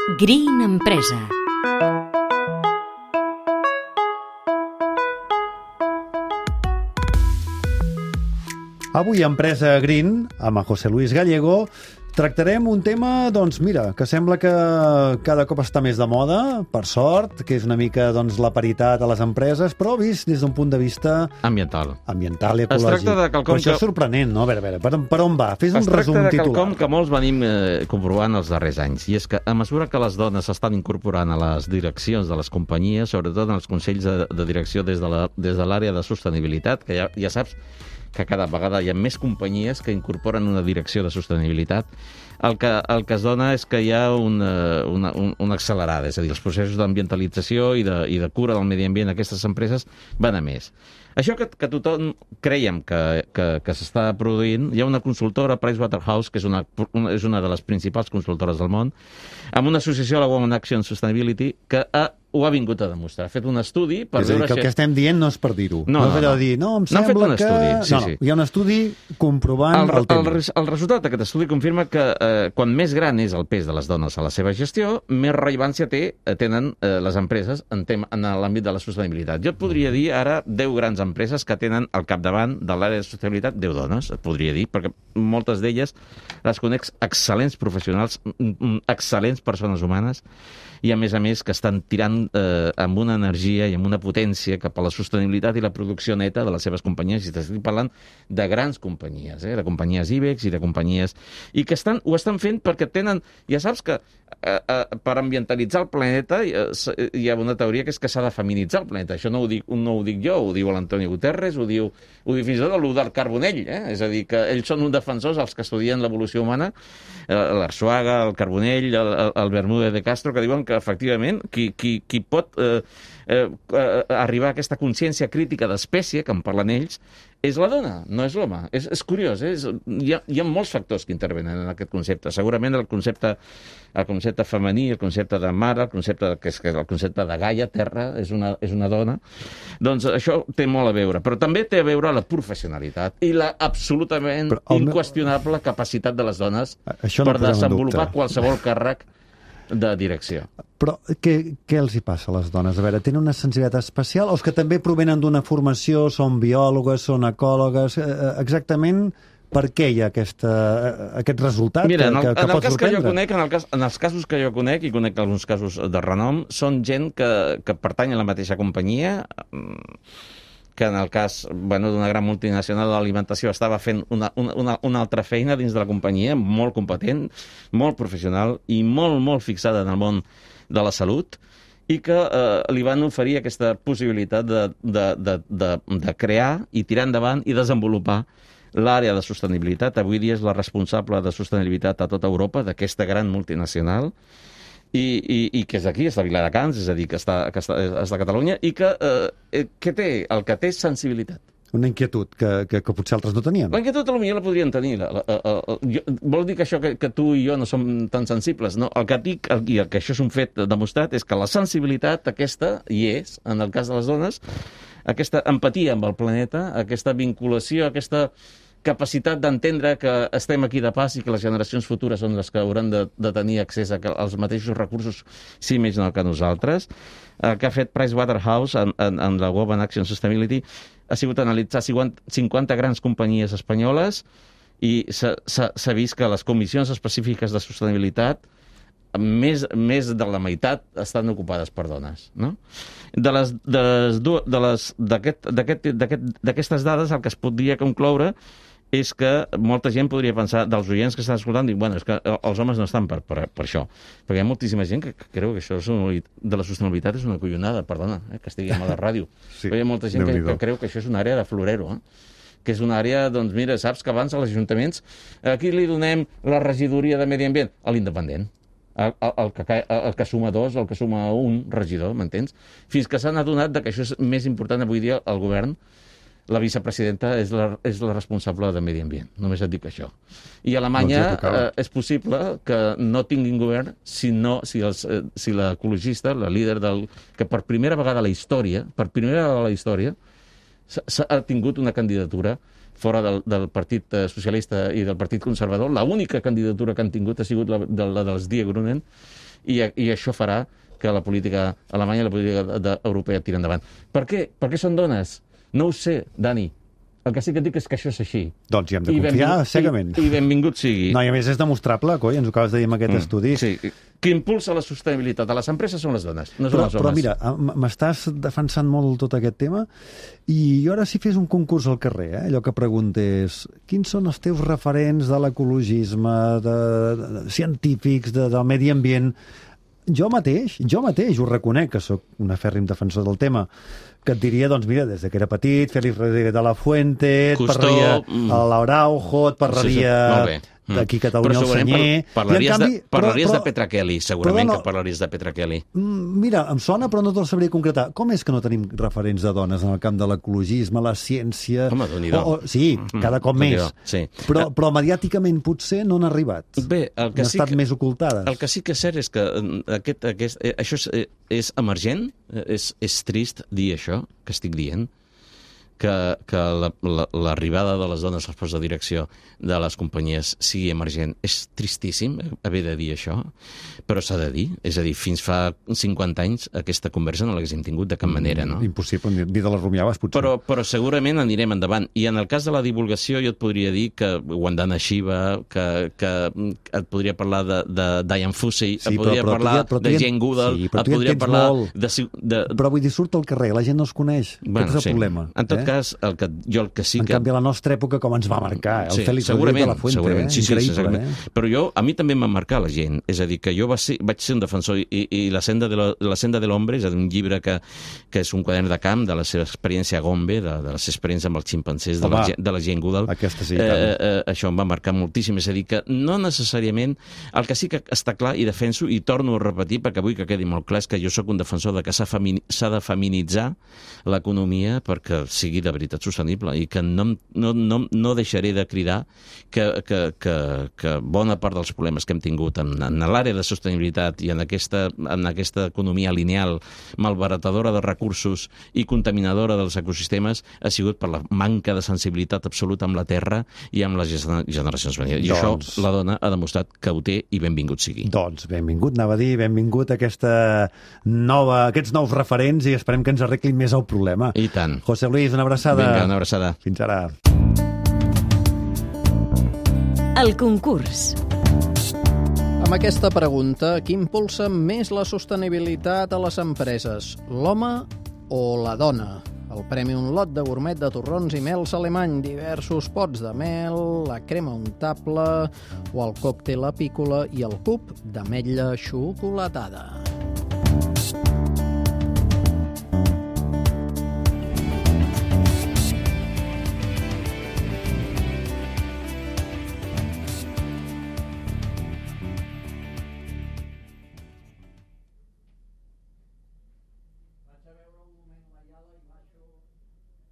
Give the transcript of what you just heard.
Green Empresa. Avui a Empresa Green, amb en José Luis Gallego, tractarem un tema, doncs mira, que sembla que cada cop està més de moda, per sort, que és una mica la paritat a les empreses, però vist des d'un punt de vista ambiental i ecològic. Es tracta de quelcom però això és sorprenent, no? A veure, per on va? Fes un resum titular. Es tracta de quelcom que molts venim comprovant els darrers anys, i és que a mesura que les dones s'estan incorporant a les direccions de les companyies, sobretot en els consells de direcció des de l'àrea de sostenibilitat, que ja saps que cada vegada hi ha més companyies que incorporen una direcció de sostenibilitat, el que es dona és que hi ha una accelerada, és a dir, els processos d'ambientalització i de cura del medi ambient d'aquestes empreses van a més. Això que tothom creiem que s'està produint, hi ha una consultora, Pricewaterhouse, que és una de les principals consultores del món, amb una associació, la Women Action Sustainability, que ho ha vingut a demostrar. Ha fet un estudi per veure... És a dir, que el que estem dient no és per dir-ho. No és allò de dir, em sembla que... Sí. Hi ha un estudi comprovant el tema. El resultat d'aquest estudi confirma que quan més gran és el pes de les dones a la seva gestió, més rellevància tenen les empreses en l'àmbit de la sostenibilitat. Jo et podria dir ara 10 grans empreses que tenen al capdavant de l'àrea de sostenibilitat 10 dones, et podria dir, perquè moltes d'elles les conec excel·lents professionals, excel·lents persones humanes, i a més que estan tirant amb una energia i amb una potència cap a la sostenibilitat i la producció neta de les seves companyies, i estic parlant de grans companyies, de companyies IBEX i de companyies... I que ho estan fent perquè tenen... Ja saps que per ambientalitzar el planeta hi ha una teoria que és que s'ha de feminitzar el planeta. Això no ho dic jo, ho diu l'Antonio Guterres, ho diu fins i tot del Carbonell, és a dir, que ells són uns defensors, els que estudien l'evolució humana, l'Arsuaga, el Carbonell, el Bermúdez de Castro, que diuen que efectivament qui pot arribar a aquesta consciència crítica d'espècie, que en parlen ells, és la dona, no és l'home. És curiós, hi ha molts factors que intervenen en aquest concepte. Segurament el concepte femení, el concepte de mare, el concepte de Gaia, terra, és una dona. Doncs això té molt a veure, però també té a veure la professionalitat i la absolutament inqüestionable capacitat de les dones per desenvolupar qualsevol càrrec de direcció. Però què els hi passa a les dones? A veure, tenen una sensibilitat especial o és que també provenen d'una formació, són biòlogues, són ecòlogues? Exactament per què hi ha aquest resultat que pot sorprendre? En els casos que jo conec, i conec alguns casos de renom, són gent que pertany a la mateixa companyia, que en el cas d'una gran multinacional de l'alimentació estava fent una altra feina dins de la companyia, molt competent, molt professional i molt fixada en el món de la salut, i que li van oferir aquesta possibilitat de crear i tirar endavant i desenvolupar l'àrea de sostenibilitat. Avui dia és la responsable de sostenibilitat a tota Europa d'aquesta gran multinacional, i que és d'aquí, és de Viladecans, és a dir, que és de Catalunya, i que el que té és sensibilitat. Una inquietud que potser altres no tenien. La inquietud potser la podrien tenir. Vol dir que això que tu i jo no som tan sensibles, no? El que dic, i el que això és un fet demostrat, és que la sensibilitat aquesta hi és, en el cas de les dones, aquesta empatia amb el planeta, aquesta vinculació, aquesta capacitat d'entendre que estem aquí de pas i que les generacions futures són les que hauran de tenir accés als mateixos recursos, si més no que nosaltres. El que ha fet Pricewaterhouse en la Women Action Sustainability ha sigut analitzar 50 grans companyies espanyoles i s'ha vist que les comissions específiques de sostenibilitat més de la meitat estan ocupades per dones, no? D'aquestes dades el que es podria concloure és que molta gent podria pensar, dels oients que estan escoltant, dic, és que els homes no estan per això. Perquè hi ha moltíssima gent que creu que això de la sostenibilitat és una collonada, perdona, que estiguem a la ràdio. Però hi ha molta gent que creu que això és una àrea de florero, que és una àrea, doncs mira, saps que abans als ajuntaments, aquí li donem la regidoria de medi ambient a l'independent. El que suma 2 o el que suma 1 regidor, m'entens? Fins que s'han adonat que això és més important avui dia al govern. La vicepresidenta és la responsable de medi ambient, només et dic això. I a Alemanya és possible que no tinguin govern si l'ecologista, la líder que per primera vegada a la història, ha tingut una candidatura fora del Partit Socialista i del Partit Conservador. L'única candidatura que han tingut ha sigut la dels Die Grünen, i això farà que la política alemanya i la política europea tiri endavant. Per què? Per què són dones? No ho sé, Dani. El que sí que et dic és que això és així. Doncs hi hem de confiar cegament. I benvingut sigui. No, i a més és demostrable, coi, ens ho acabes de dir amb aquest estudi. Sí, qui impulsa la sostenibilitat a les empreses són les dones, no són els homes. Però mira, m'estàs defensant molt tot aquest tema i jo ara si fes un concurs al carrer, allò que preguntés quins són els teus referents de l'ecologisme, de científics, del medi ambient, jo mateix ho reconec, que sóc un afèrrim defensor del tema, que et diria, doncs mira, des que era petit, Félix Rodríguez de la Fuente, et parlaria a l'Araujo, et parlaria d'aquí Catalunya el Senyer... Parlaries de Petra Kelly, segurament que parlaries de Petra Kelly. Mira, em sona, però no te'l sabria concretar. Com és que no tenim referents de dones en el camp de l'ecologisme, la ciència... Home, Déu-n'hi-do. Sí, cada cop més. Sí. Però mediàticament potser no han arribat. Bé, el que han estat més ocultades. El que sí que és cert és que això és emergent, és trist dir això que estic dient, que l'arribada de les dones als postos de direcció de les companyies sigui emergent. És tristíssim haver de dir això, però s'ha de dir. És a dir, fins fa 50 anys aquesta conversa no l'haguéssim tingut de cap manera, no? Impossible, ni de les rumiaves, potser. Però segurament anirem endavant. I en el cas de la divulgació jo et podria dir que Wandana Shiva, que et podria parlar de Diane Fossey, et podria parlar de Jane Goodall, et podria parlar de... Però vull dir, surt al carrer, la gent no es coneix. Aquest és el problema. En tot cas, el que sí que... En canvi, a la nostra època, com ens va marcar, el Félix Rodríguez de la Fuente, sí, increïble. Però a mi també em va marcar la gent. És a dir, que jo vaig ser un defensor i la senda de l'hombre, és a dir, un llibre que és un quadern de camp de la seva experiència a Gombe, de les experiències amb els ximpancers, de la Jane Goodall. Això em va marcar moltíssim. És a dir, que no necessàriament... El que sí que està clar, i defenso, i torno a repetir, perquè vull que quedi molt clar, és que jo sóc un defensor de que s'ha de feminitzar l'economia perquè sigui de veritat sostenible i que no deixaré de cridar que bona part dels problemes que hem tingut en l'àrea de sostenibilitat i en aquesta economia lineal malbaratadora de recursos i contaminadora dels ecosistemes ha sigut per la manca de sensibilitat absoluta amb la terra i amb les generacions venides. I això la dona ha demostrat que ho té i benvingut sigui. Doncs benvingut, anava a dir, benvingut a aquests nous referents i esperem que ens arreglin més el problema. I tant. José Luis, una abraçada. Vinga, una abraçada. Fins ara. El concurs. Amb aquesta pregunta, qui impulsa més la sostenibilitat a les empreses, l'home o la dona? El premi un lot de gourmet de torrons i mels alemany, diversos pots de mel, la crema untable o el còctel apícola i el cub d'ametlla xocolatada.